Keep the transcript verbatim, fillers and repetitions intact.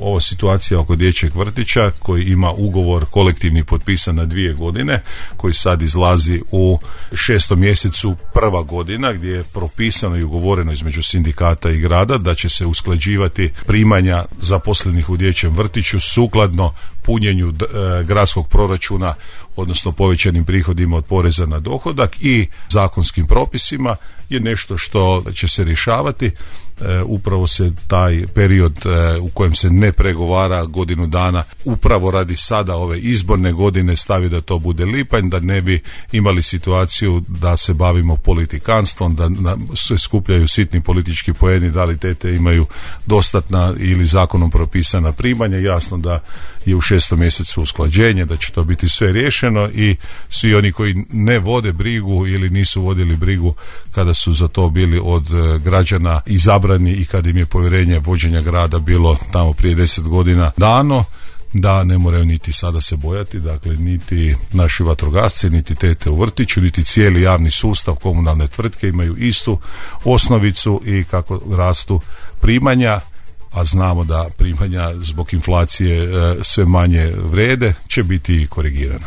ova situacija oko dječjeg vrtića koji ima ugovor kolektivni potpisan na dvije godine, koji sad izlazi u šestom mjesecu prva godina, gdje je propisano i ugovoreno između sindikata i grada da će se usklađivati primanja zaposlenih u dječjem vrtiću sukladno punjenju e, gradskog proračuna, odnosno povećanim prihodima od poreza na dohodak i zakonskim propisima, je nešto što će se rješavati. E, upravo se taj period e, u kojem se ne pregovara godinu dana, upravo radi sada ove izborne godine, stavi da to bude lipanj, da ne bi imali situaciju da se bavimo politikanstvom, da se skupljaju sitni politički poeni, da li tete imaju dostatna ili zakonom propisana primanja. Jasno da je u šestom mjesecu usklađenje, da će to biti sve riješeno i svi oni koji ne vode brigu ili nisu vodili brigu kada su za to bili od građana izabrani i kad im je povjerenje vođenja grada bilo tamo prije deset godina dano, da ne moraju niti sada se bojati, dakle niti naši vatrogasci, niti tete u vrtiću, niti cijeli javni sustav, komunalne tvrtke imaju istu osnovicu i kako rastu primanja, a znamo da primanja zbog inflacije e, sve manje vrede, će biti korigirana.